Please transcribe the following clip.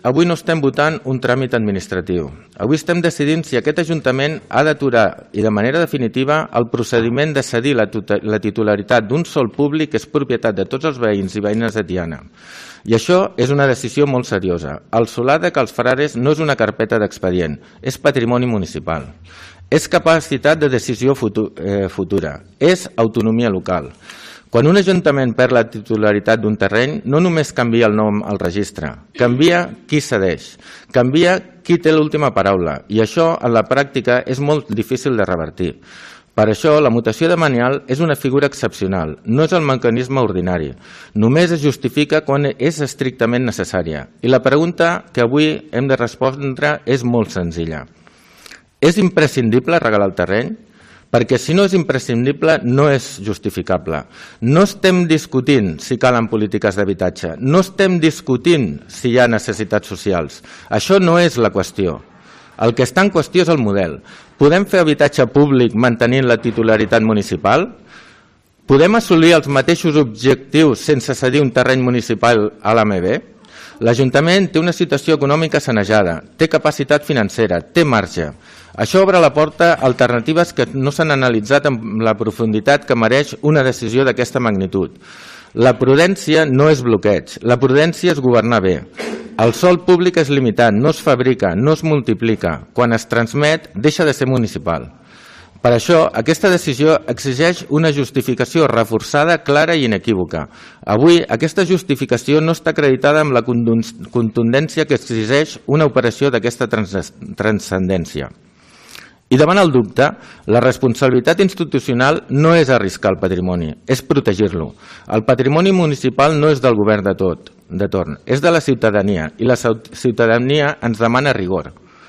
Avui no estem votant un tràmit administratiu. Avui estem decidint si aquest Ajuntament ha d'aturar i de manera definitiva el procediment de cedir la titularitat d'un sòl públic que és propietat de tots els veïns i veïnes de Tiana. I això és una decisió molt seriosa. El solar de Cal Frares no és una carpeta d'expedient, és patrimoni municipal. És capacitat de decisió futura, és autonomia local. Quan un ajuntament perd la titularitat d'un terreny, no només canvia el nom al registre, canvia qui cedeix, canvia qui té l'última paraula, i això en la pràctica és molt difícil de revertir. Per això, la mutació de manial és una figura excepcional, no és el mecanisme ordinari. Només es justifica quan és estrictament necessària. I la pregunta que avui hem de respondre és molt senzilla. És imprescindible regalar el terreny? Perquè si no és imprescindible, no és justificable. No estem discutint si calen polítiques d'habitatge, no estem discutint si hi ha necessitats socials. Això no és la qüestió. El que està en qüestió és el model. Podem fer habitatge públic mantenint la titularitat municipal? Podem assolir els mateixos objectius sense cedir un terreny municipal a l'AMB? L'Ajuntament té una situació econòmica sanejada, té capacitat financera, té marge. Això obre la porta a alternatives que no s'han analitzat amb la profunditat que mereix una decisió d'aquesta magnitud. La prudència no és bloqueig, la prudència és governar bé. El sòl públic és limitat, no es fabrica, no es multiplica. Quan es transmet, deixa de ser municipal. Per això, aquesta decisió exigeix una justificació reforçada, clara i inequívoca. Avui, aquesta justificació no està acreditada amb la contundència que exigeix una operació d'aquesta transcendència. I davant el dubte, la responsabilitat institucional no és arriscar el patrimoni, és protegir-lo. El patrimoni municipal no és del govern de torn, és de la ciutadania, i la ciutadania ens demana rigor.